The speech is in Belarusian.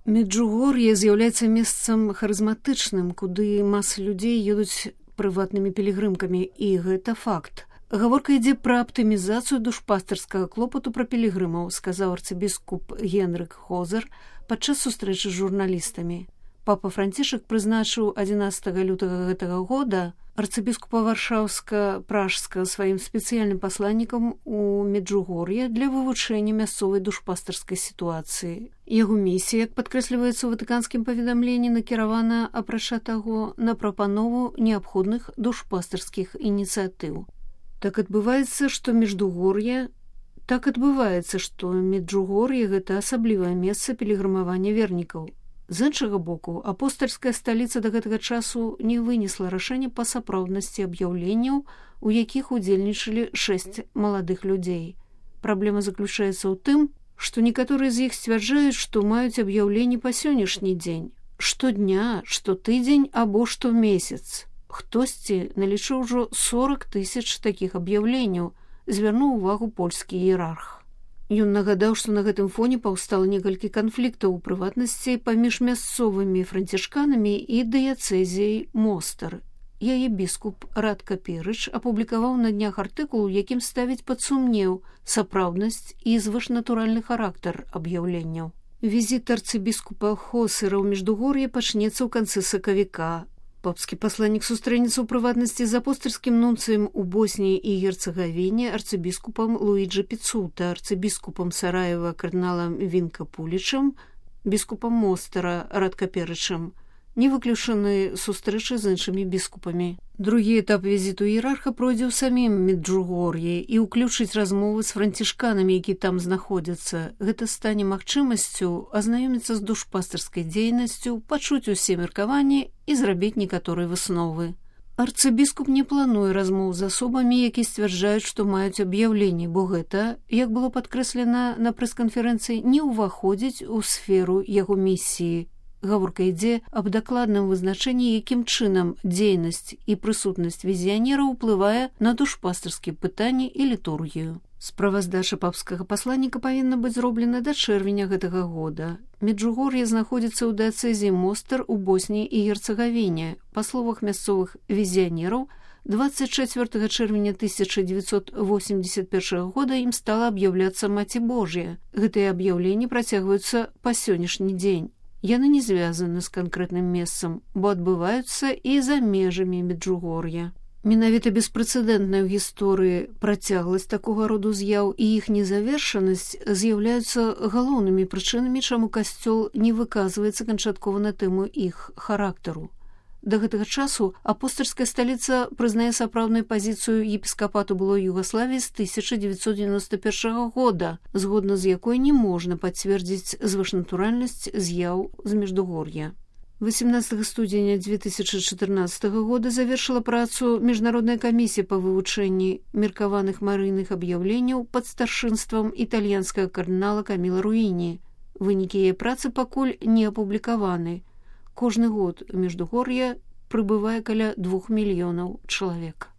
Меджугор'е з'яўляецца месцам харызматычным, куды масы людзей едуць прыватнымі пілігрымкамі, і гэта факт. Гаворка ідзе пра аптымізацыю душпастарскага клопату пра пілігрымаў, сказаў арцыбіскуп Генрык Хозер падчас сустрэчы з журналістамі. Папа Францішак прызначыў 11 лютага гэтага года арцыбіскупа Варшаўска-Пражска сваім спецыяльным пасланнікам у Меджугор'е для вывучэння мясцовай душпастарскай сітуацыі. Яго місія, як падкрэсліваецца ў ватыканскім паведамленні, накіравана, апрача таго, на прапанову неабходных душпастарскіх ініцыятыў. Так адбываецца, што Меджугор'е гэта асаблівае месца пілігрымавання вернікаў. З іншага боку, апостальская сталіца да гэтага часу не вынесла рашэння па сапраўднасці аб'яўленняў, у якіх удзельнічалі 6 маладых людзей. Праблема заключаецца ў тым, што некаторыя з іх сцвярджаюць, што маюць аб'яўленні па сённяшні дзень, штодня, штотыдзень або штомесяц. Хтосьці налічыў ужо 40 000 такіх аб'яўленняў, звярнуў увагу польскі іерарх. Ён нагадаў, што на гэтым фоне паўстала некалькі канфліктаў, у прыватнасці паміж мясцовымі францішканамі і дыяцэзіяй Мостар. Яе біскуп Радка Перыч апублікаваў на днях артыкул, у якім ставіць пад сумнеў сапраўднасць і звышнатуральны характар аб'яўленняў. Візіт арцыбіскупа Хосера ў Меджугор'е пачнецца ў канцы сакавіка. Папскі пасланнік сустрэнецца ў прыватнасці з апостальскім нунцыем у Босніі і Герцагавіне арцыбіскупам Луіджі Піцута, арцыбіскупам Сараева кардыналам Вінка Пулічам, біскупам Мостара Радка Перычам. Не выключаны сустрэчы з іншымі біскупамі. Другі этап візіту іерарха пройдзе ў самім Меджугор'е і ўключыць размовы з францішканамі, які там знаходзяцца. Гэта стане магчымасцю азнаёміцца з душпастарскай дзейнасцю, пачуць усе меркаванні і зрабіць некаторыя высновы. Арцыбіскуп не плануе размоў з асобамі, які сцвярджаюць, што маюць аб'яўленні, бо гэта, як было падкрэслена на прэс-канферэнцыі, не ўваходзіць у сферу яго місіі. Гаворка ідзе аб дакладным вызначэнні, якім чынам дзейнасць і прысутнасць візіянера ўплывае на душпастарскія пытанні і літургію. Справаздача папскага пасланніка павінна быць зроблена да чэрвеня гэтага года. Меджугор'е знаходзіцца ў дыяцэзіі Мостар у Босніі і Герцагавіне. Па словах мясцовых візіянераў, 24 чэрвеня 1981 года ім стала аб'яўляцца Маці Божая. Гэтыя аб'яўленні працягваюцца па сённяшні дзень. Яны не звязаны з канкрэтным месцам, бо адбываюцца і за межамі Меджугор'я. Менавіта беспрэцэдэнтная ў гісторыі працягласць такога роду з'яў і іх незавершанасць з'яўляюцца галоўнымі прычынамі, чаму касцёл не выказваецца канчаткова на тэму іх характару. Да гэтага часу апостальская сталіца прызнае сапраўдную пазіцыю епіскапату былой Югаславіі з 1991 года, згодна з якой не можна пацвердзіць звышнатуральнасць з'яў з Меджугор'я. 18 студзеня 2014 года завершыла працу Міжнародная камісія па вывучэнні меркаваных марыйных аб'яўленняў пад старшынствам італьянскага кардынала Каміла Руіні. Вынікі яе працы пакуль не апублікаваны. Кожны год у Меджугор'е прыбывае каля 2 мільёнаў чалавек.